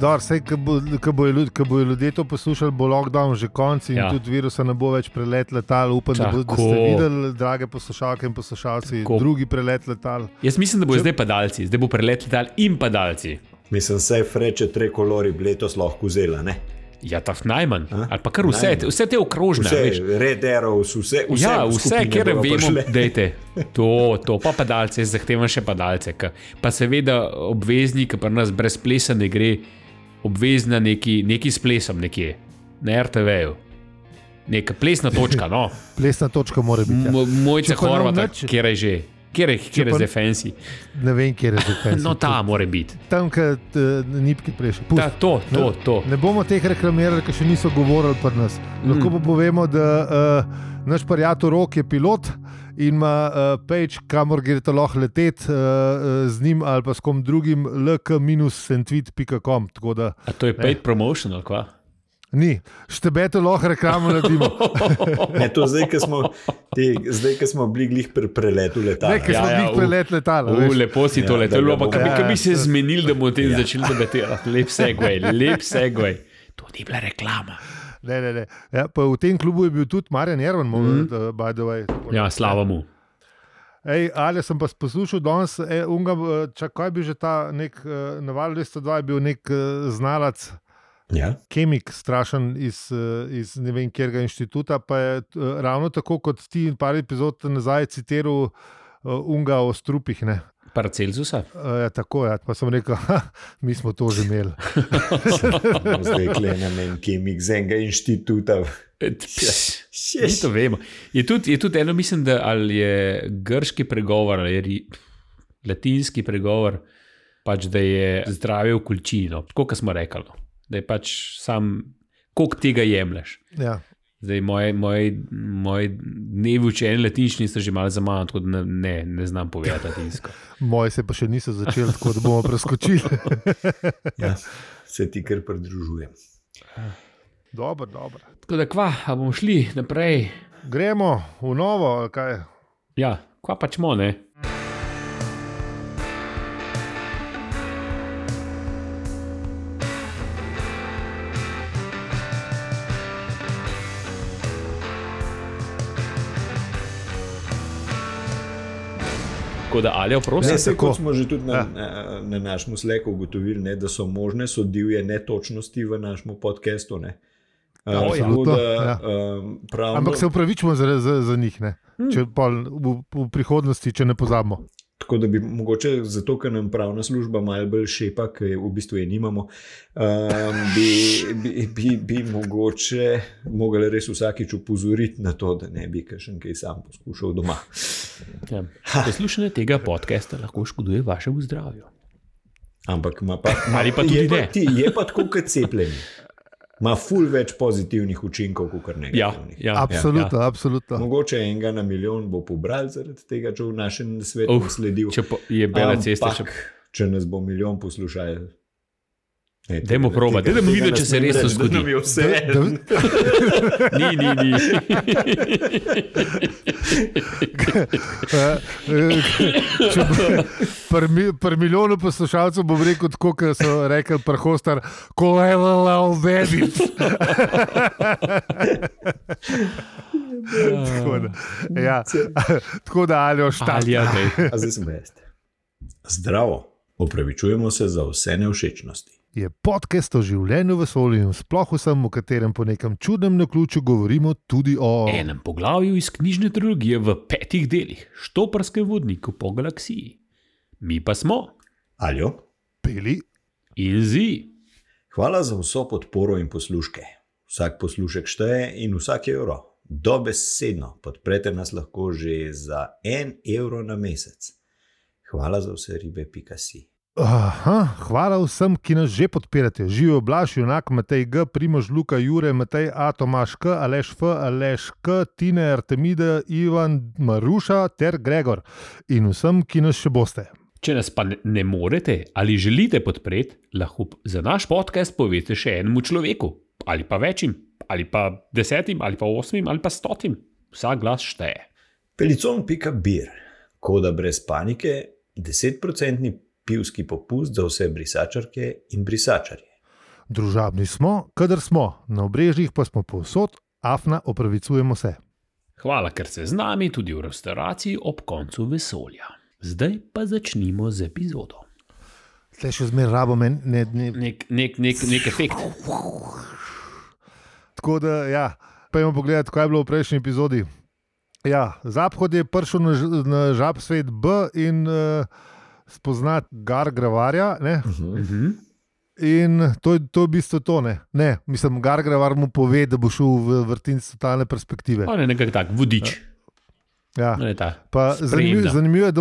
Sej, ko bojo ljudje to poslušali, bo lockdown že konc in tudi virusa ne bo več prelet letal. Upam, da ste videli, drage poslušalke in poslušalci, drugi prelet letal. Jaz mislim, da bo zdaj padalci. Zdaj bo prelet letal in padalci. Mislim, sej freče trikolori bi letos lahko vzela, ne? Ja, tak najmanj. Ali pa kar vse te okrožne. Vse, Red Arrows, vse kjer vemo, dejte. To pa padalce, zahtevam še padalce. Pa seveda obvezni, ki pri nas brez plesa ne gre, obvezna neki s plesom nekje, na RTV-ju. Neka plesna točka, no. Plesna točka mora biti. Mojce Horvata, kjer je že. Kjer je zdaj fancy? Ne vem, kjer je zdaj fancy. No, ta mora biti. Tam, kad nipki prejši. To. Ne bomo teh reklamirali, ker še niso govorili pri nas. Lahko pa povemo, da naš prijatelj Rok je pilot in ima page, kamor greste lahko leteti z njim ali pa s kom drugim, lk-sentweet.com. A to je paid promotion ali kva? Ni, štebete lahko reklamo naredimo. Ne, to zdaj, ko smo bili glih pri preletu letala. Ne, ko smo bili prelet letala. Lepo si to letalo, pa kaj bi se zmenili, da bomo o tem začeli debatirati. Lep segway. To ni bila reklama. Ne. Ja, pa v tem klubu je bil tudi Marjan Erman, by the way. Ja, slava mu. Ali sem pa poslušal danes, kaj bi že ta nek Naval 202 je bil nek znalac, kemik strašen iz ne vem kjerega inštituta, pa je ravno tako kot ti in par epizod nazaj citiral unga o strupih, ne? Paracelsusa? Tako, pa sem rekel, mi smo to že imeli. Zdaj klenem en kemik z enega inštituta. Mi to vemo. Je tudi eno, mislim, da ali je grški pregovor, ali je latinski pregovor, pač da je zdravje v količini, tako kot smo rekli. Da je pač sam, koliko tega jemlješ. Ja. Zdaj, moji dnevi učenja latinščine so že malo zaman, tako da ne znam povedati latinsko. Moji se pa še niso začeli, tako da bomo preskočili. Ja, se ti kar pridružujem. Dobro. Tako da a bomo šli naprej? Gremo v novo, kaj? Ja, pač mo, ne? Tako da, Aljo, prosim. Kot smo že tudi na našem Slacku ugotovili, ne, da so možne divje netočnosti v našem podcastu. Ampak se upravičimo za njih, ne? Če v prihodnosti, če ne pozabimo. Tako da bi mogoče, zato ker nam pravna služba malo bolj šepa, ker v bistvu je nimamo, bi mogoče mogli res vsakič upozoriti na to, da ne bi kakšen kaj sam poskušal doma. Ja. Poslušanje tega podcasta lahko škoduje vašemu zdravju. Ampak ali pa tudi ne. Je pa tako kot cepljenje. Ima ful več pozitivnih učinkov, kot negativnih. Ja, absolutno. Mogoče enega na milijon bo pobral zaradi tega, če v našem svetu sledil. Če je bela cesta. Če nas bo milijon poslušal. Dajmo probati, dajmo videti, če se res to zgodi. Ni. Pri milijonu poslušalcev bom rekel tako, kot so rekli pri Hostar, kolelala obedit. Tako da, Aljo, štart. Zdaj sem best. Zdravo, opravičujemo se za vse nevšečnosti. Je podcast o življenju v vesolju in sploh vsem, v katerem po nekem čudnem naključju govorimo tudi o enem poglavju iz knjižne trilogije v 5 delih, Štoprskem vodniku po galaksiji. Mi pa smo Aljo, Peli in Zi. Hvala za vso podporo in posluške. Vsak poslušek šteje in vsak evro. Dobesedno podprete nas lahko že za 1 evro na mesec. Hvala za vse ribe.si. Hvala vsem, ki nas že podpirate. Živijo Blaž, Junak, Matej G, Primož, Luka, Jure, Matej A, Tomaš K, Aleš F, Aleš K, Tine, Artemida, Ivan, Maruša ter Gregor. In vsem, ki nas še boste. Če nas pa ne morete ali želite podpreti, lahko za naš podcast poveste še enemu človeku, ali pa večjim, ali pa 10, ali pa 8, ali pa 100. Vsak glas šteje. Pelicon.beer. Koda brez panike, 10% pivski popust za vse brisačarke in brisačarje. Družabni smo, kadar smo, na obrežjih pa smo povsod, afna, opravičujemo se. Hvala, ker ste z nami tudi v restauraciji ob koncu vesolja. Zdaj pa začnimo z epizodo. Tle še zmeraj rabo Nek efekt. Tako da, ja, pojmo pogledati, kaj je bilo v prejšnji epizodi. Ja, Zaphod je prišel na žab svet B in spoznati Gargravarja, ne? In to je v bistvu to, ne? Ne, mislim, Gargravar mu pove, da bo šel v vrtinec totalne perspektive. On je nekako tak, vodič. Ja. Pa zanimivo je, da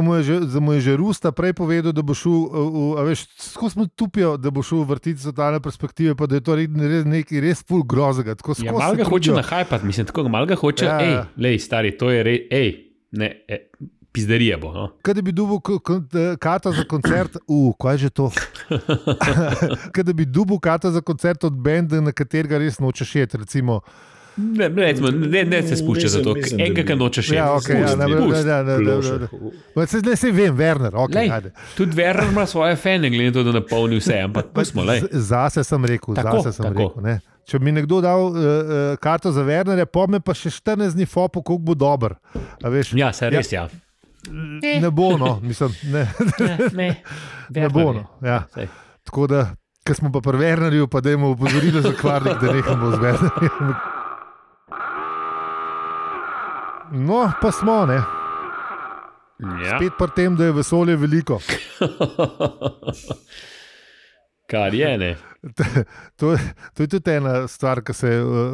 mu je že Rusta prej povedal, da bo šel, skozi smo tupijo, da bo šel v vrtinec totalne perspektive, pa da je to nekaj res ful grozega. Ja, malo ga hoče nahajpati, mislim, tako malo ga hoče, lej, stari, to je pizderija bo. No? Kaj da bi dubil karto za koncert, kaj je že to? Kaj da bi dubil karto za koncert od benda, na katerega res nočeš jeti, recimo. Ne se spušča za to, enega nočeš jeti. Ne se vem, Werner. Okay, tudi Werner ima svoje fane, glede to, da napolni vse, ampak pustimo. Zase sem rekel, ne. Če bi mi nekdo dal karto za Wernerja, po me pa še 14 dni fopo, koliko bo dober. Ja, se res, ja. Ne bo, no, mislim, ne bo, no, ja. Tako da, ko smo pa pri Wernerju, pa dajmo opozorilo za kvarnik, da nehamo z Wernerjem. No, pa smo, ne. Ja. Spet pri tem, da je vesolje veliko. Kar je, ne. To je tudi ena stvar, ki se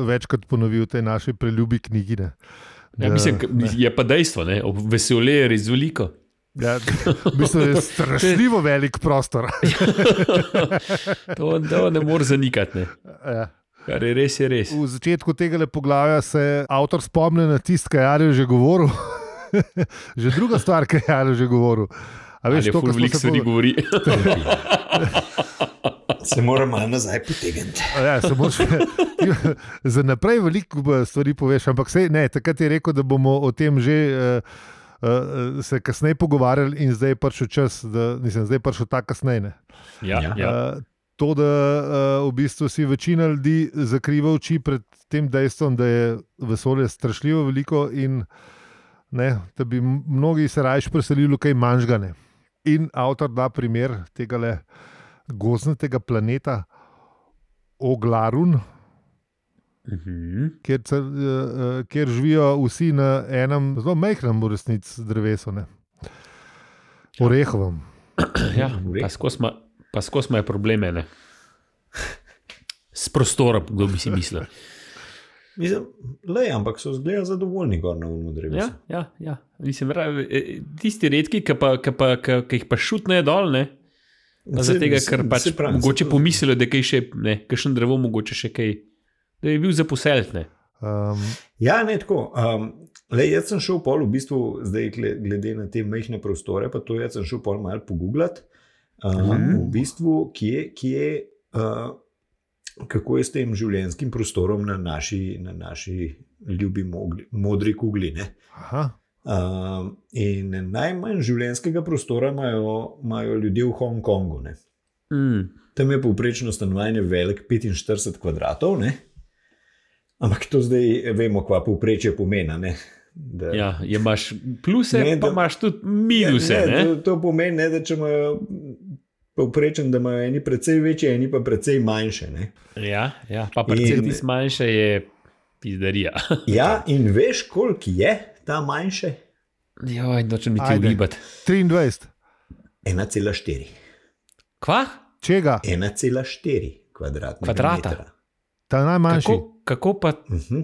večkrat ponovi v tej naši preljubi knjigi, ne. Ja, mislim, je pa dejstvo, ne? Vesolje je res veliko. Ja, v bistvu je strašljivo velik prostor. To ne more zanikati. Ne? Ja. Kar je res, je res. V začetku tega poglavja se avtor spomne na tisto, kar je Jarjo že govoril. Že druga stvar, kar je Jarjo že govoril. Ali je ful veliko stvari govori. Se moram malo nazaj potegniti. Ja, za naprej veliko stvari poveš, ampak takrat je rekel, da bomo o tem že se kasneje pogovarjali in zdaj je prišel čas, zdaj je prišel ta kasneje. Ja. To, da v bistvu si večina ljudi zakriva oči pred tem dejstvom, da je vesolje strašljivo veliko in da bi mnogi se rajš preselili v kaj manjšega. In avtor da primer tega gozdnatega planeta Oglarun, kjer živijo vsi na enem zelo majhnem v resnici drevesu, orehovem. Ja, pa skozi imajo probleme, ne? S prostorom, kdo bi si mislil. Mislim, ampak so zgleda zadovoljni gor na umu drevesu. Ja. Mislim, tisti redki, ki jih pa šutnejo dol, ne? Zaradi tega, ker pač mogoče pomislijo, da je kaj še, kakšen drevo mogoče še kaj, da je bil za poselt, ne? Ja, ne tako. Jaz sem šel pol v bistvu, zdaj glede na te majhne prostore, pa to jaz sem šel pol malo pogooglati, v bistvu, kako je s tem življenjskim prostorom na naši ljubi modri kugli, ne? Aha. In najmanj življenjskega prostora imajo ljudje v Hongkongu. Tam je povprečno stanovanje velik 45 kvadratov, ne? Ampak to zdaj vemo, kva povprečje pomena. Ja, imaš pluse, pa imaš tudi minuse. To pomeni, da če imajo povprečen, da imajo eni precej večje, eni pa precej manjše. Ja, pa precej manjše je pizdarija. Ja, in veš, koliko je ta manjše? Joj, nočem mi ti ugibati. 23. 1,4. Kva? Čega? 1,4 kvadratnega metra. Ta najmanjši. Kako pa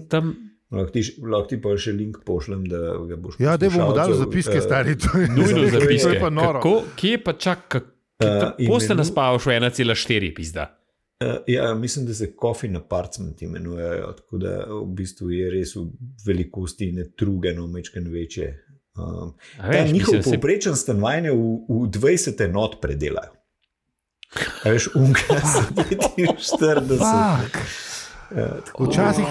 tam... Lahko ti pa še link pošljem, da ga boš poslušal. Ja, da bomo dali zapiske, stari. Nujno zapiske. Kje pa čak, kako ste naspavaš v 1,4 pizda? Ja, mislim, da se coffin apartment imenujejo, tako da v bistvu je res v velikosti netrugeno, mečken večje. Njihov povprečen stanovanje v 20 enot predelajo. A veš, unka za 45. Včasih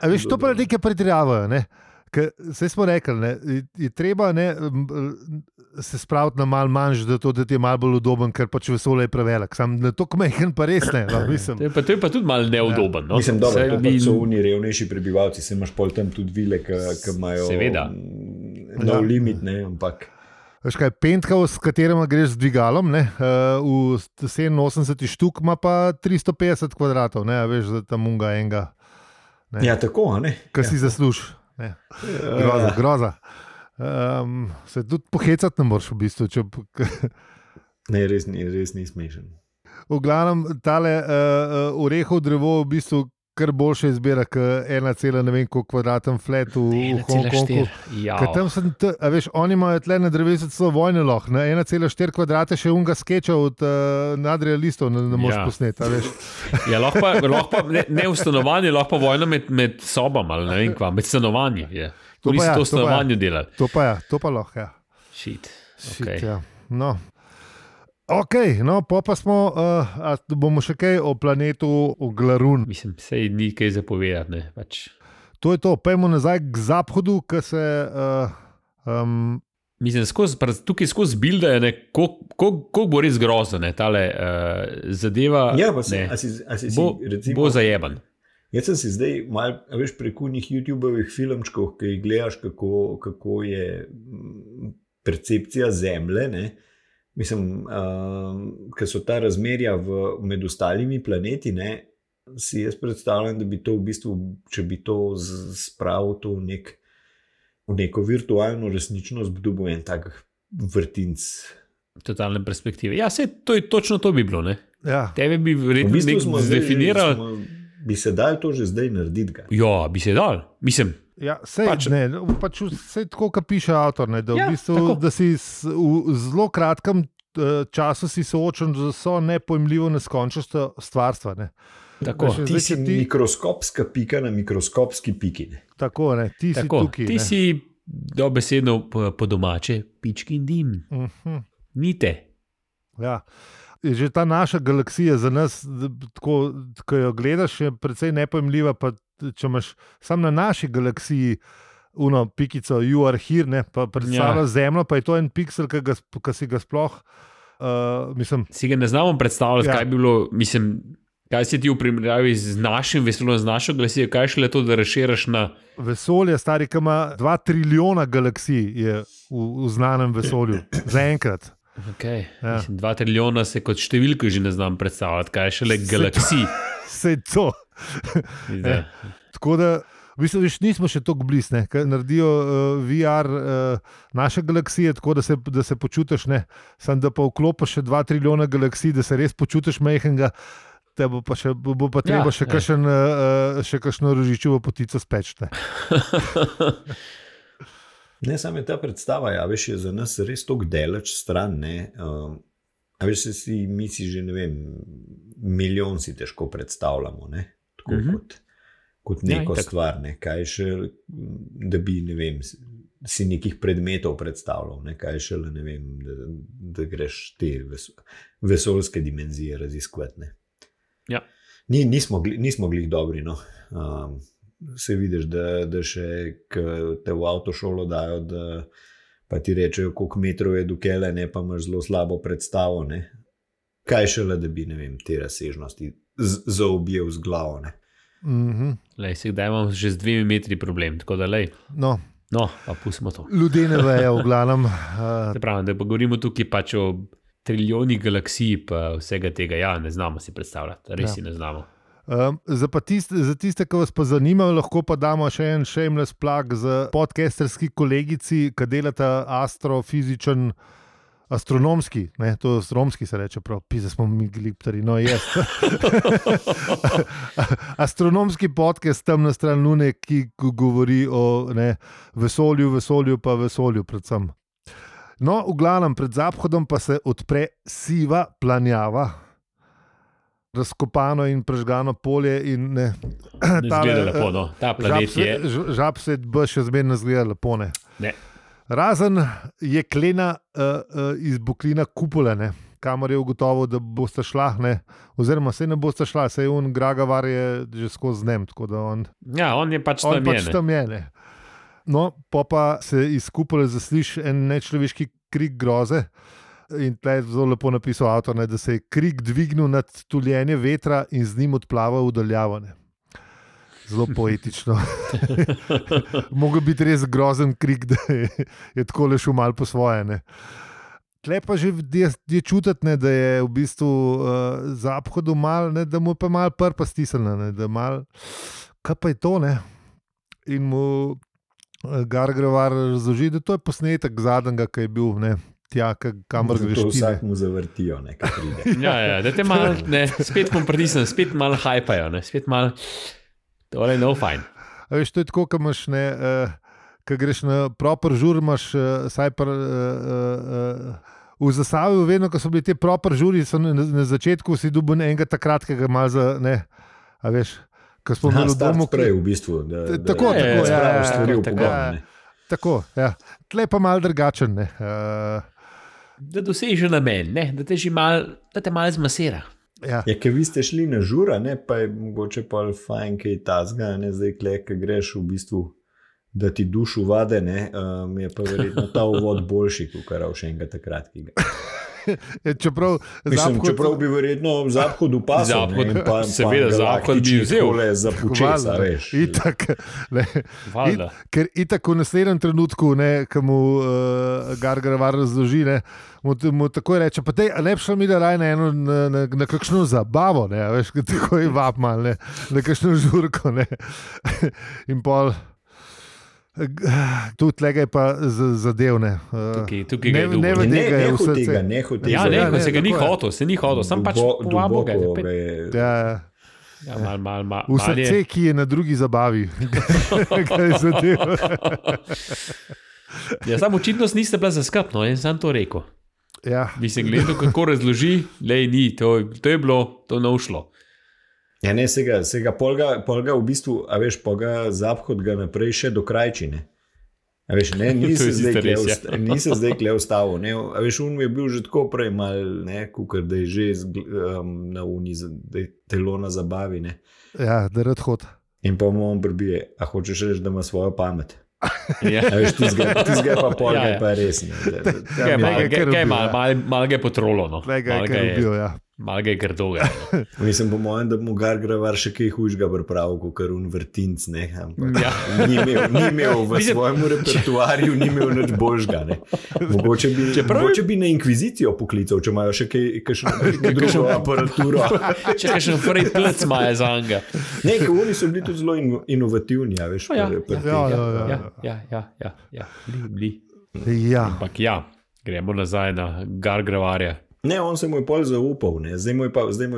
a veš, to pa nekaj pretiravajo, ne? Saj smo rekli, je treba se spraviti na malo manj, da ti je malo bolj udoben, ker pač vesolje je prevelik. Sam na to kmehen pa res ne. Mislim. To je pa tudi malo neudoben. No? Mislim, dobro, so oni revnejši prebivalci, se imaš pol tam tudi vile, ki imajo nov limit, ne, ampak... Veš kaj, penthouse, s katerim greš z dvigalom, ne, v 87 štuk ima pa 350 kvadratov, ne, veš, za tam unga enega. Ne. Ja, tako, ne? Kaj si zasluž. Ne. Groza. Se tudi pohecati ne moreš v bistvu. Ne, res ni smešen. V glavnem, tale orehov drevo v bistvu kar boljše izbira, kot 1,9 kvadraten flat v Hongkongu. Veš, oni imajo tle na drevesu celo vojne loh, 1,4 kvadrate še unga skeča od nadrealistov ne moreš posneti. Ja, lahko pa ne v stanovanju, lahko pa vojno med sobami ali ne vem kva, med stanovanji. To bi se to v stanovanju delali. To pa lahko, ja. Shit, okay. Ja. No. Ok, no, pa smo, bomo še kaj o planetu Glarun. Mislim, sej ni kaj zapovedati, ne, pač. To je to, pojmo nazaj k Zaphodu, ki se... Mislim, tukaj skozi bildajo, ne, koliko bo res grozno, ne, tale zadeva, ja, pa ne, recimo, bo zajeban. Jaz sem si zdaj malo, veš, preko njih YouTube-ovih filmčkov, ki jih gledaš, kako je percepcija Zemlje, ne, mislim, ker so ta razmerja med ostalimi planeti, ne, si jaz predstavljam, da bi to v bistvu, če bi to spravil to v neko virtualno resničnost, bi dobil en tak vrtinc. Totalne perspektive. Ja, to je točno to bi bilo, ne? Ja. Tebe bi verjetno zdefiniral. Bi se dal to že zdaj narediti ga? Ja, bi se dal. Mislim, ja, sej tako, kot piše avtor, ne, da, ja, v bistvu, da si v zelo kratkem času si soočen z vso nepojmljivo neskončnostjo stvarstva. Ne. Tako, ti si mikroskopska pika na mikroskopski piki. Ne. Tako, ne, ti si tukaj. Ti si dobesedno po domače pički in dim. Nite. Ja. Že ta naša galaksija za nas, tako, ko jo gledaš, je precej nepojmljiva, pa če imaš sam na naši galaksiji pikico You Are Here, ne, pa predstavljaš Zemljo, pa je to en piksel, ki si ga sploh mislim... Si ga ne znamo predstavljati, kaj bi bilo, mislim, kaj si ti v primerjavi z našim vesoljem, z našo galaksijo, kaj šele to, da razširaš na... Vesolje, stari, ki ima 2 trilijona galaksij je v znanem vesolju, zaenkrat. Okay. Ja. Mislim, 2 trilijona se kot številko že ne znam predstavljati, kaj je šele galaksij. Sej to. Ja. Tako da, v bistvu, nismo še toliko blizu, ker naredijo VR naše galaksije, tako da se počutiš, ne, samo da pa vklopiš še 2 trilijona galaksij, da se res počutiš majhnega, te bo pa treba še kakšno rožičevo potico speči. Ne, samo je ta predstava, ja, veš, je za nas res toliko daleč stran, ne, a veš, mi si že, ne vem, milijon si težko predstavljamo, ne, tako kot neko stvar, ne, kaj še, da bi, ne vem, si nekih predmetov predstavljal, ne, kaj še, ne vem, da greš te vesoljske dimenzije raziskovati, ne. Ja. Nismo glih dobri, no, se vidiš, da še te v avtošolo dajo, da pa ti rečejo, koliko metrov je do kele, ne, pa imaš zelo slabo predstavo, ne. Kaj šele, da bi, ne vem, te razsežnosti zaobjel z glavo, ne. Lej, sedaj imam že z 2 metri problem, tako da lej. No, pa pustimo to. Ljudje ne vejo, v glavnem. Se pravi, da pa govorimo tukaj pač o trilijonih galaksij, pa vsega tega, ja, ne znamo si predstavljati, res si ne znamo. Za tiste, ki vas pa zanimajo, lahko pa damo še en shameless plug z podcasterski kolegici, ki delata astrofizičen, astronomski, ne, to astronomski se reče prav, pisa smo mi gliptari, no jaz. Astronomski podcast tam na stran Lune, ki govori o, ne, vesolju pa vesolju predvsem. No, v glavnem, pred Zaphodom pa se odpre siva planjava, razkopano in prežgano polje in ne zgleda lepo, no. Ta planet je... Žab se še zmerno zgleda lepo, ne. Ne. Razen jeklena izbuklina kupole, ne, kamor je ugotovil, da boste šla, ne, oziroma se ne boste šla, saj Gragavar je že skozi njem, tako da on... Ja, on je pač tam je, ne. No, pa se iz kupole zasliši en nečloveški krik groze. In tle je zelo lepo napisal avtor, da se je krik dvignil nad tuljenje vetra in z njim odplaval v daljavo. Zelo poetično. Mogoče biti res grozen krik, da je tako le šel malo po svoje. Ne. Tle pa že je čutiti, da je v bistvu Zaphodu mal, ne, da mu je pa malo prpa stisnjena, da mal, kaj pa je to, ne? In mu Gargarevar razloži, da to je posnetek zadnjega, ki je bil, ne, tja, kamor greš ti. Vsak mu zavrtijo, nekaj pride. Ja, da te malo, spet mu pritisnem, spet malo hajpajo, spet malo, tole no fajn. A veš, to je tako, ko imaš, ko greš na proper žur, imaš saj v Zasavju, vedno, ko so bili te proper žuri, so na začetku si dobil enega takrat, ki ga malo za, ne, a veš, ko smo imeli v domu. Prej v bistvu. Tako, ja. Tako, ja. Tle pa malo drugačen, ne. Da doseže namen, da te že malo zmasira. Ja, ker vi ste šli na žura, pa je mogoče pa fajn, kaj tazga, zdaj kle, ker greš v bistvu, da ti dušu vade, mi je pa verjetno ta uvod boljši, kot kar še enega takrat, ki ga. Čeprav bi verjetno Zaphod upasal. Seveda, Zaphod bi vzel. Za počesa, veš. Ker itak v naslednjem trenutku, ko mu Gargarevar razloži, mu takoj reče, pa tej, lepša mi da raj na kakšno zabavo, veš, tako je vab mal, na kakšno žurko, in pol. Tu tlega je pa zadevne. Tukaj ga je dugo. Neho tega. Se ga ni hotel, sam pač povabo ga je. V srce, ki je na drugi zabavi. Kaj je zadev. Sam očitnost niste bila zaskrbno, sem to rekel. Ja. Mislim, gledal, kako razloži, ni, to je bilo, to ne ušlo. Ja, ne, se ga polga v bistvu, a veš, polga Zaphod ga naprej še dokrajči, ne. A veš, ni se zdaj kle ustavil, ne. A veš, on je bil že tako prej mal, ne, kukar, da je že na uni, da je telo na zabavi, ne. Ja, da rad hod. In pa mu on prbije, a hočeš reči, da ima svojo pamet. Ja. A veš, tizga pa polga pa res, ne. Mal ga je potrolo, no. Tlega je kar ubil, ja. Malo ga je grdoga. Mislim, po mojem, da mu Gargarevar še kaj hujšega pripravil, kot un vrtinc, ne. Ja. Ni imel v svojem repertoarju, ni imel nič božga, ne. Mogoče bi na inkvizicijo poklical, če imajo še kakšno drugo aparaturo. Če kakšen frej plec imajo za anga. Ne, ker oni so bili tudi zelo inovativni, a veš. Ja. Bili. Ja. Ampak ja, gremo nazaj na Gargarevarja. Ne, on se mu je pol zaupal, ne. Zdaj mu je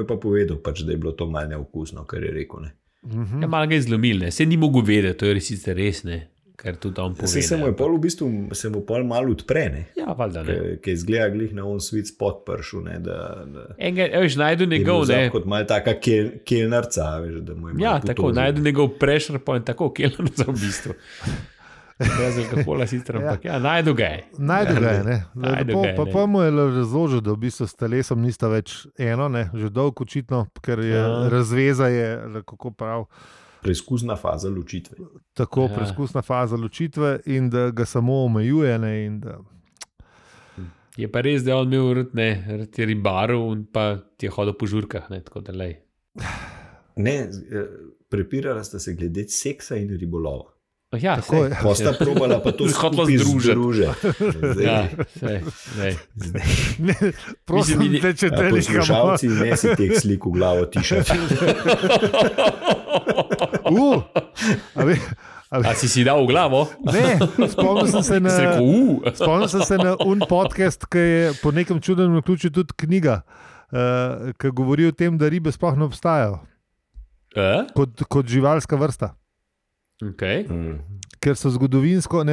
pa povedal, pač, da je bilo to malo neokusno, kar je rekel. Ne. Ja, malo ga je zlomil, ne. Se ni mogel vedeti, to je resnice res, ne. Kar tudi on pove. Se mu je pol v bistvu, se mu pol malo odpre, ne. Ja, valjda, ne. Ker izgleda glih na on sweet spot pršel, ne. Veš, najdu njegov, ne. Kot malo taka kelnarca, veš, da mu je malo ja, tako, najdu njegov pressure point, tako kelnarca v bistvu. Brez alkohola sicer, ampak ja, najdu ga je. Najdu ga je, ne. Pa mu je razložil, da v bistvu s telesom nista več eno, ne, že dolgo očitno, ker je razveza je, kako prav. Preizkusna faza ločitve. Tako, preizkusna faza ločitve in da ga samo omejuje, ne, in da... Je pa res, da je on imel rad je ribarov in pa ti je hodil po žurkah, ne, tako da lej. Ne, prepirala sta se glede seksa in ribolova. Ja, posta probala pa to skupaj združiti. Ja, sej. Prosim, te če deliš ga. Poslušalci, ne si teh slik v glavo tišati. A si dal v glavo? Ne, spomnil sem se na un podcast, ki je po nekem čudnem naključju tudi knjiga, ki govori o tem, da ribe sploh ne obstajajo. Kot živalska vrsta. Okay. Ker so zgodovinsko,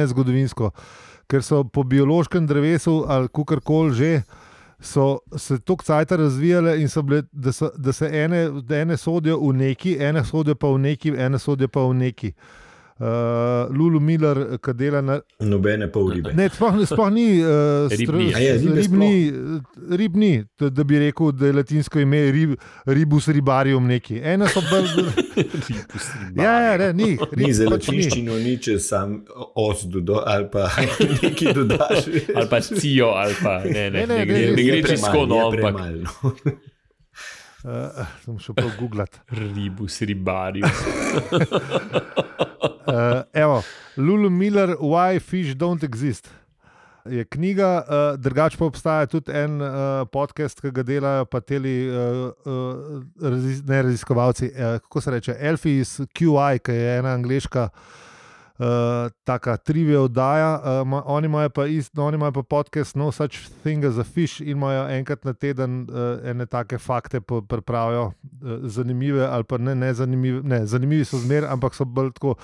ker so po biološkem drevesu ali kakorkoli že, so se toliko cajta razvijale in so bile, da se ene sodijo v neki, ene sodijo pa v neki, ene sodijo pa v neki. Lulu Miller, ki dela na. Nobene pol ribe. Ne, sploh ni ribni, da bi rekel, da je latinsko ime ribus ribarium neki. Ena so bolj. Ni za latinščino nič, sam os dodo ali pa nekaj dodaš. Ali pa cijo, ali pa ne gre čisto, ampak. Sem šel pa googlat. Ribus ribarium. Evo, Lulu Miller, Why Fish Don't Exist. Je knjiga, drugače pa obstaja tudi en podcast, ki ga delajo pa teli raziskovalci, kako se reče, Elfi iz QI, ki je ena angleška taka trivia oddaja, oni imajo pa podcast No Such Thing as a Fish in imajo enkrat na teden ene take fakte pripravijo, zanimive ali pa ne zanimive, ne, zanimivi so zmer, ampak so bolj tako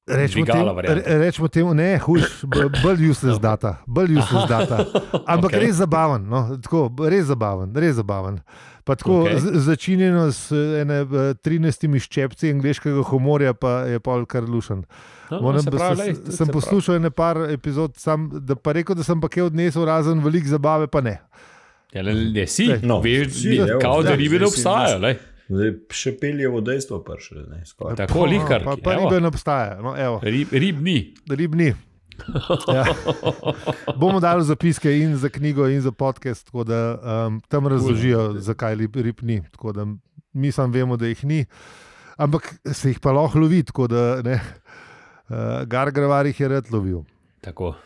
rečemo temu, ne, bolj useless data, ampak okay. Res zabaven, no, tako, res zabaven. Pa tako okay. Začinjeno s 13 ščepci angleškega humorja, pa je pa kar lušen. Sem poslušal ene par epizod, da pa rekel, da sem pa kaj odnesel razen veliko zabave, pa ne. Ja, ne, si, kao da ribe ne obstajajo, Zdaj, še peljevo dejstvo prišle. Tako lihkar. Pa ribe ne obstaja. No, Rib ni. Ja. Bomo dali zapiske in za knjigo in za podcast, tako da tam razložijo, zakaj rib ni. Tako da mi sam vemo, da jih ni. Ampak se jih pa lahko lovi, tako da ne. Gargravar jih je rad lovil. Tako.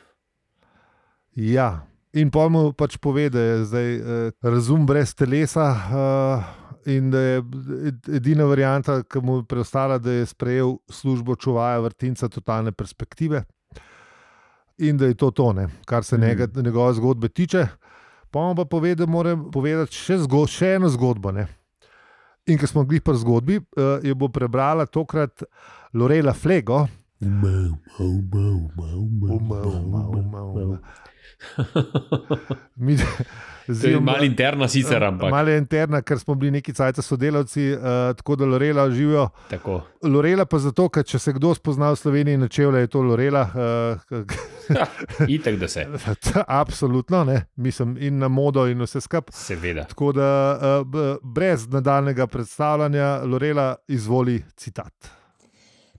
Ja. In pa mu pač pove, da je zdaj razum brez telesa, in da je edina varianta, ki mu je preostala, da je sprejel službo čuvaja vrtinca totalne perspektive in da je to, kar se njegove zgodbe tiče. Pa mu pa pove, da mora povedati še eno zgodbo. Ne? In ko smo glih pri zgodbi, jo bo prebrala tokrat Lorela Flego. To je malo interna sicer, ampak. Malo interna, ker smo bili neki cajta sodelavci, tako da Lorela živijo. Tako. Lorela pa zato, ker če se kdo spozna v Sloveniji na čevlje, je to Lorela. Itak, da se. Absolutno, ne. Mislim, in na modo in vse skup. Seveda. Tako da brez nadaljnega predstavljanja, Lorela, izvoli citat.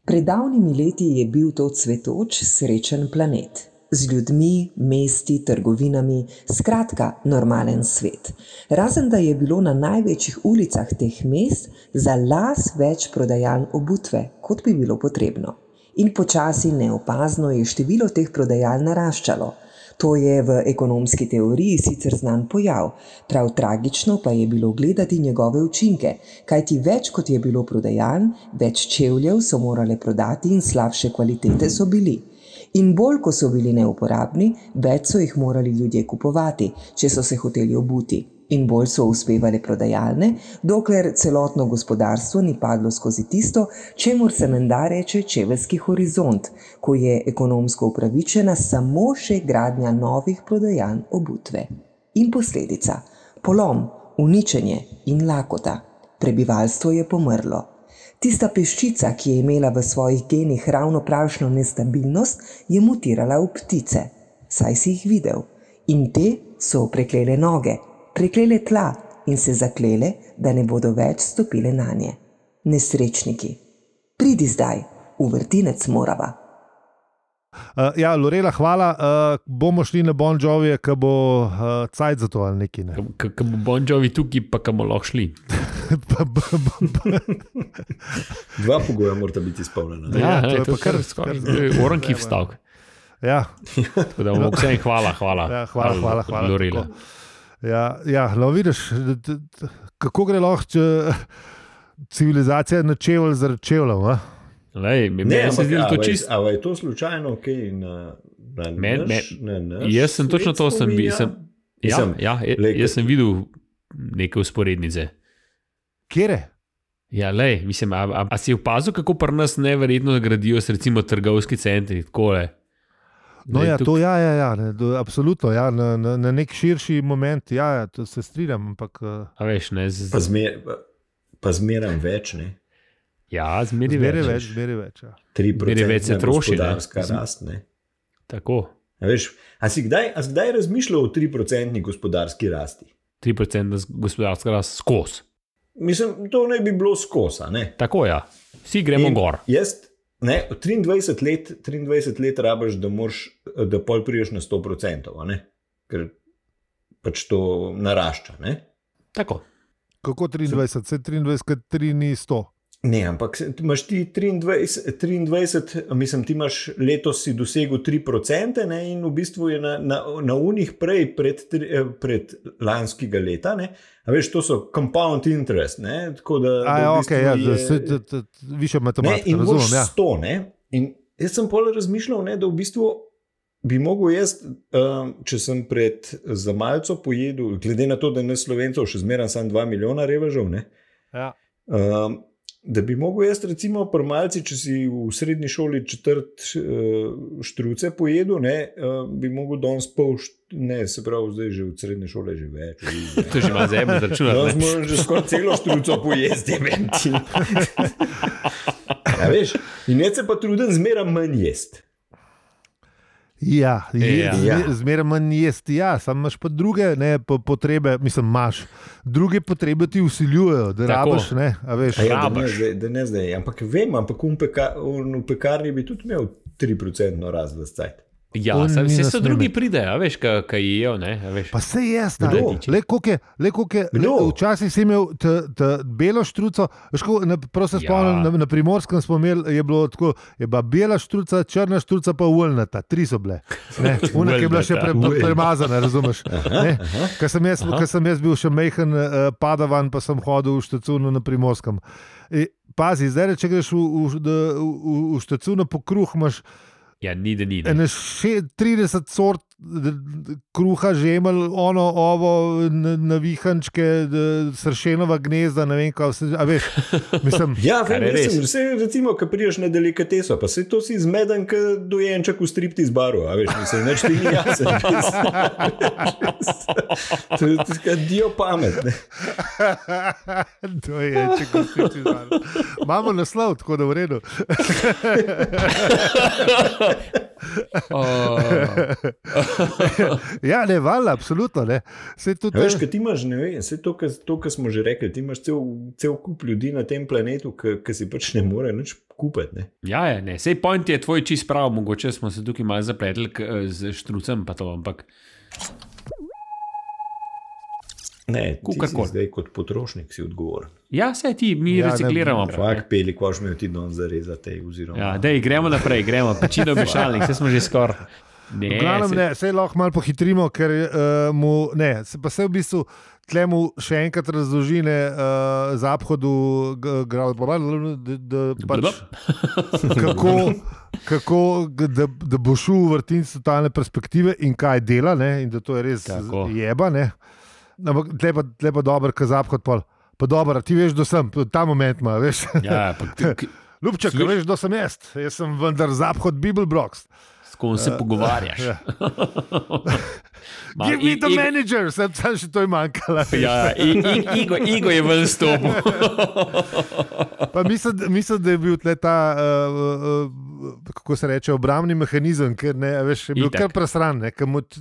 Pred davnimi leti je bil to cvetoč, srečen planet. Z ljudmi, mesti, trgovinami, skratka, normalen svet. Razen da je bilo na največjih ulicah teh mest za las več prodajaln obutve, kot bi bilo potrebno. In počasi neopazno je število teh prodajaln naraščalo. To je v ekonomski teoriji sicer znan pojav, prav tragično pa je bilo gledati njegove učinke, kajti več kot je bilo prodajaln, več čevljev so morale prodati in slabše kvalitete so bili. In bolj, ko so bili neuporabni, več so jih morali ljudje kupovati, če so se hoteli obuti. In bolj so uspevale prodajalne, dokler celotno gospodarstvo ni padlo skozi tisto, čemur se menda reče čeveljski horizont, ko je ekonomsko upravičena samo še gradnja novih prodajaln obutve. In posledica: polom, uničenje in lakota. Prebivalstvo je pomrlo. Tista peščica, ki je imela v svojih genih ravno pravšno nestabilnost, je mutirala v ptice. Saj si jih videl. In te so preklele noge, preklele tla in se zaklele, da ne bodo več stopile nanje. Nesrečniki. Pridi zdaj, v vrtinec morava. Ja, Lorela, hvala. Bomo šli na Bon Jovija, ko bo cajt za to ali neki. Ne? Ko bo Bon Jovi tukaj, pa ko bomo lahko šli. Dva pogoja morata biti izpolnjena. Ja, to je kar skoraj oranki vstavk. Ja. Tako da bomo vsem hvala. Ja, hvala. Lorela. Ja, no vidiš, kako gre lahko civilizacija na čevelj zaradi čevljev, a? Ali je to slučajno kaj na jaz sem točno to jaz sem videl neke usporednice. Kjere? Ja, mislim, a si opazil, kako pri nas neverjetno gradijo se recimo trgovski centri, takole? No ja, to absolutno, ja, na nek širši moment, ja, to se strinjam, ampak. A veš, ne? Pa zmeram več, ne? Ja, zmeri več. Zmeri več. Ja. 3% gospodarska rast. Tako. A si kdaj razmišljal o 3% gospodarski rasti? 3% gospodarska rast skozi. Mislim, to ne bi bilo skozi. Tako, ja. Vsi gremo gor. Jaz, 23 let rabiš, da pol priješ na 100%, ker pač to narašča. Tako. Kako 23? Se 23, kad 3 ni 100. Ne, ampak imaš ti 23, mislim, ti imaš letos si dosegel 3%, in v bistvu je na unih prej pred lanskega leta, a veš, to so compound interest, tako da više matematika, razumem. In moš 100, in jaz sem pol razmišljal, da v bistvu bi mogel jaz, če sem za malco pojedel, glede na to, da ne Slovencov še zmeram sam 2 milijona revežev, da bi mogel jaz recimo pri malci, če si v srednji šoli četrt štruce pojedel, bi mogel danes pol, se pravi, zdaj že v srednji šoli že več. To že ima zemljo zračunati. Danes moram že skoraj celo štruco pojesti, venti. Ja, veš, in jaz se pa trudim zmeraj manj jesti. Ja, zmeraj manj jesti, samo imaš pa druge potrebe, mislim, imaš druge potrebe ti vsiljujejo, da rabiš, a veš. Da ne zdaj, ampak vem, v pekarni bi tudi imel 3% rast v cajt. Ja, vse so drugi pridejo, veš, kaj jejo, veš. Pa se jaz, le koliko je, včasih si imel belo štruco, veš, prav se spomnim, na Primorskem smo imeli, je bilo tako, je bila bela štruca, črna štruca pa uljnata, 3 so bile, una, ki je bila še premazana, razumeš, Ko sem jaz bil še majhen padavan, pa sem hodil v Štacunu na Primorskem. Pazi, zdaj, če greš v Štacunu po kruh, imaš ja, ni. 30 sort kruha, žemelj, ovo, navihančke, sršenova gnezda, ne vem kaj, a veš, mislim. Ja, recimo, ko priješ na delikateso, pa se to si zmeden, ko dojenček v striptiz baru, a veš, mislim, neč ti ni jasen. To je tako dio pamet, Dojenček v striptiz baru. Imamo naslov, tako da v redu. Ja, ne, valjda, absolutno, ne. Veš, kaj ti imaš, ne vem, vse to, kar smo že rekli, ti imaš cel kup ljudi na tem planetu, ki si pač ne more nič kupiti, ne. Ja, ne, sej point je tvoj čist prav, mogoče smo se tukaj malo zapletli z štrucem, pa to, ampak ne, ti si zdaj kot potrošnik si odgovoren. Ja, sej ti, mi recikliramo. Fak, Peli, koš me ti don zarezate, oziroma. Ja, dej, gremo naprej, pečino mešalnik, vse smo že skoraj. Sej lahko malo pohitrimo, ker pa se v bistvu tlemu še enkrat razložine zaphodu, da bo šel v vrtinc totalne perspektive in kaj dela, in da to je res jeba, ampak tle pa dober, ka zaphod pol. Pa dober, ti veš, da sem, ta moment ima, veš. Ja, Ljubček, veš, da sem jaz sem vendar zaphod Bibelbrox. S kom se pogovarjaš. Give me the manager, sem še to je manjkala. Ja, Igo je ven stopil. Pa mislim, da je bil tle ta, kako se reče, obrambni mehanizem, ker veš, je bil kar presran,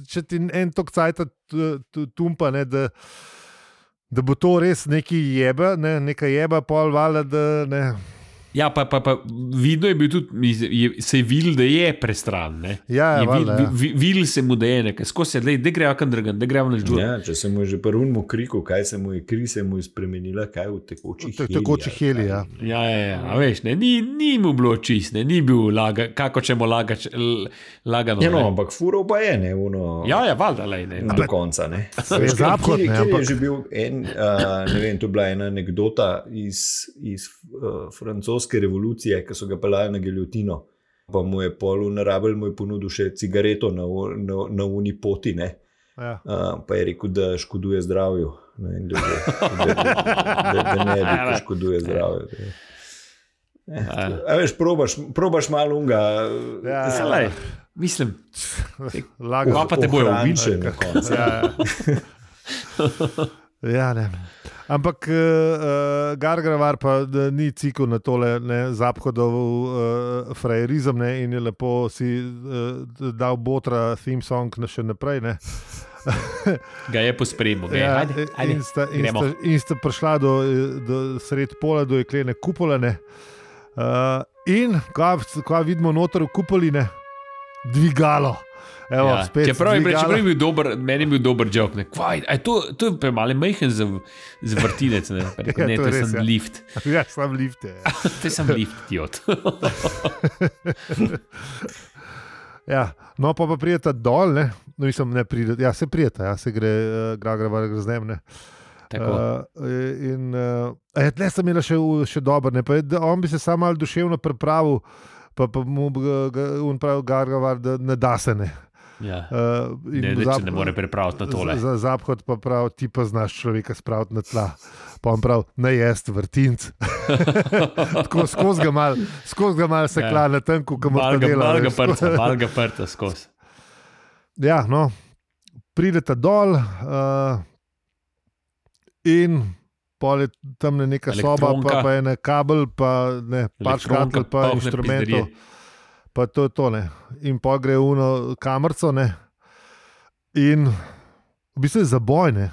če ti en tok cajta tumpa, da bo to res neki jeba, neka jeba pol valjda, da ne. Ja, pa vidno je bil tudi, se je videl, da je prestran, Ja, valjda, videl se mu, da je nekaj, skozi se, da greva kan drgan, da greva naš džur. Ja, če se mu je že prvunmu kriku, kaj se mu je kri, se mu je spremenila, kaj v tekočih heli. Ja, a veš, ni mu bilo čist, ni bil kako ćemo lagano. Ja, no, ampak furo pa je, Ja, valjda, do konca, Veš, zapad, je že bil ne vem, to je bila ena anekdota iz francoske revolucije, ki so ga pelali na giljotino, pa mu je pol narabel, mu je ponudil še cigareto na uni poti, Ja. Pa je rekel, da škoduje zdravju, da ne bi, ko škoduje zdravju. A veš, probaš malo unga. Ja, mislim, lago. Pa te bojo ubičen. Ja. Ja, ne. Ampak Gargarevar pa ni cikl na tole Zaphodov frajerizem, ne, in je lepo si dal Botra theme song še naprej. Ne. Ga je pospremil. Ja, in sta prišla do sred pola, do jeklene kupole. Ne. In ko vidimo noter v kupoli, ne, dvigalo. Evo, ja, čeprav je bil dober, meni je bil dober jok. To je premalo majhen za vrtinec. Ne, ne, to je sem lift. Ja, sam lift je. To je sem lift, idiot. Ja, no pa prijeta dol, ne. No, mislim, ne prijeta, ja, se prijeta, ja, se gre Gargarevar z njim, ne. Tle sem imela še dober, ne, pa on bi se sam malo duševno pripravil, pa mu on pravi Gargarevar, da ne da se, ne. Ja. Ne more pripraviti na tole. Za Zahod pa prav, ti pa znaš človeka spraviti na tla. Pa on prav, ne jest vrtinc. Tako skozi ga mal se kla na tenku, ko mu ta dela. Mal ga prta skozi. Ja, no, prideta dol in pol je tam neka soba, pa je ne kabel, pa ne par škatl, pa inštrumentov. Pa to je to, ne. In pa gre v kamerco, ne. In v bistvu je zaboj, ne.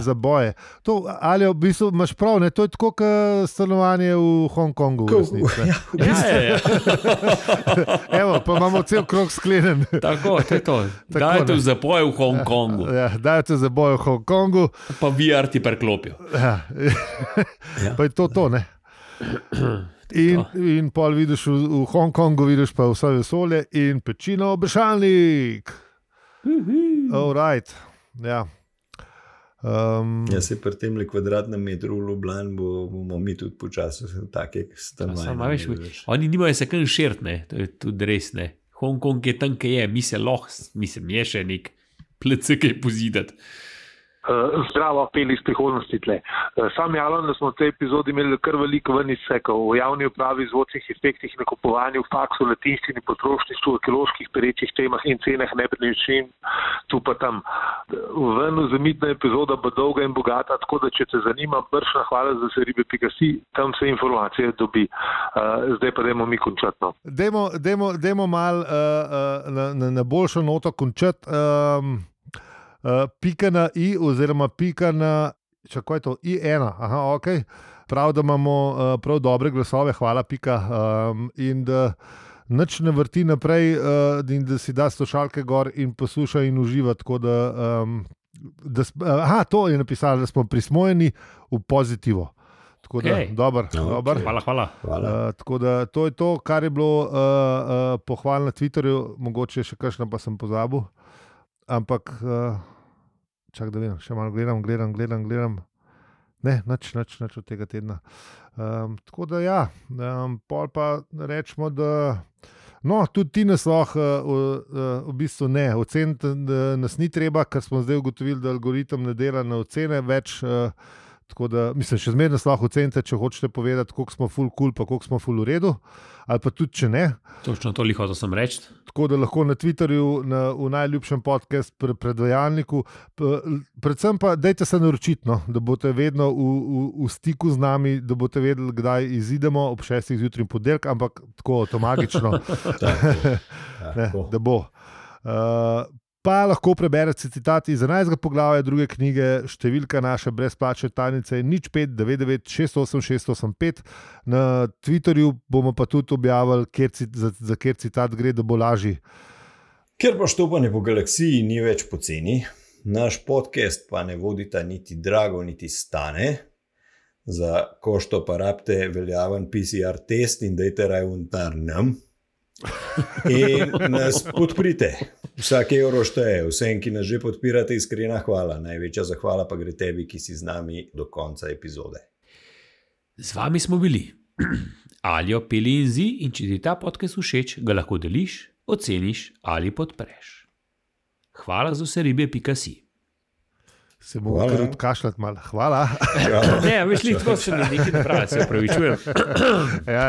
Zaboje. To, ali v bistvu imaš prav, ne. To je tako, kot stanovanje v Hongkongu. Ja. Evo, pa imamo cel krog sklenen. Tako, to je to. Dajte v zaboj v Hongkongu. Ja, dajte v zaboj v Hongkongu. Pa VR ti preklopijo. Ja. Pa je to, ne. In pol vidiš v Hongkongu, vidiš pa vse vesolje in pečino obešalnik. All right. Ja. Se pri tem kvadratnem metru v Ljubljani bomo mi tudi počasi take stanovanja. Oni nimajo se kam širt, ne. To je tudi res, ne. Hongkong je tam, kaj je, mi se lahko, mislim, je še nek plece, kaj pozidati. Zdravo, peli iz prihodnosti tle. Sam javljam, da smo v tej epizodi imeli kar veliko ven izsekov o javni upravi, zvočnih efektih, nakupovanju, faksu, latinščini, potrošništvu, ekoloških perečih temah in cenah nepremičnin, tu pa tam. Ven zamitna epizoda bo dolga in bogata, tako da če te zanima, bršna hvala za seribe.si, tam se informacije dobi. Zdaj pa dajmo mi končati. No. Dajmo mal na boljšo noto končati. Pika na i oziroma pika na, čakaj to, i1, aha, ok. Prav, da imamo prav dobre glasove, hvala pika, in da nič ne vrti naprej, in da si da slušalke gor in posluša in uživa, tako da, to je napisala, da smo prismojeni v pozitivo. Tako da, dober. Hvala. Tako da, to je to, kar je bilo pohval na Twitterju, mogoče še kakšno pa sem pozabil. Ampak, čak da vem, še malo gledam. Ne, nič od tega tedna. Tako da ja, pol pa rečemo, da no, tudi ti nas lahko v bistvu ne, oceniti nas ni treba, ker smo zdaj ugotovili, da algoritem ne dela na ocene več, tako da, mislim, še zmeraj nas lahko ocenite, če hočete povedati, koliko smo ful cool, pa koliko smo ful v redu, ali pa tudi, če ne. Točno to liho, to sem reči. Tako da lahko na Twitterju, v najljubšem podcast predvajalniku, predvsem pa dajte se naročiti, no, da boste vedno v stiku z nami, da boste vedeli, kdaj izidemo ob 6 zjutraj in ponedeljek, ampak tako magično, da bo. Pa lahko preberete citat iz 11. poglavja druge knjige, številka naše brezplačne tajnice je 0599 68 685. Na Twitterju bomo pa tudi objavili, za kjer citat gre, da bo lažji. Ker pa štopanje po galaksiji ni več poceni, naš podcast pa ne vodita niti drago, niti stane. Za košto pa rabite veljaven PCR test in dajte rajvuntar nam. In nas podprite. Vsak evro šteje, vsem, ki nas že podpirate, iskrena hvala. Največja zahvala pa gre tebi, ki si z nami do konca epizode. Z vami smo bili Aljo, Peli in Zi, in če ti ta podcast všeč, ga lahko deliš, oceniš ali podpreš. Hvala za vse ribe.si. Se bomo kar odkašljati malo. Hvala. Ne, veš li, tako se mi nekaj ne pravi, se opravičujem. Ja.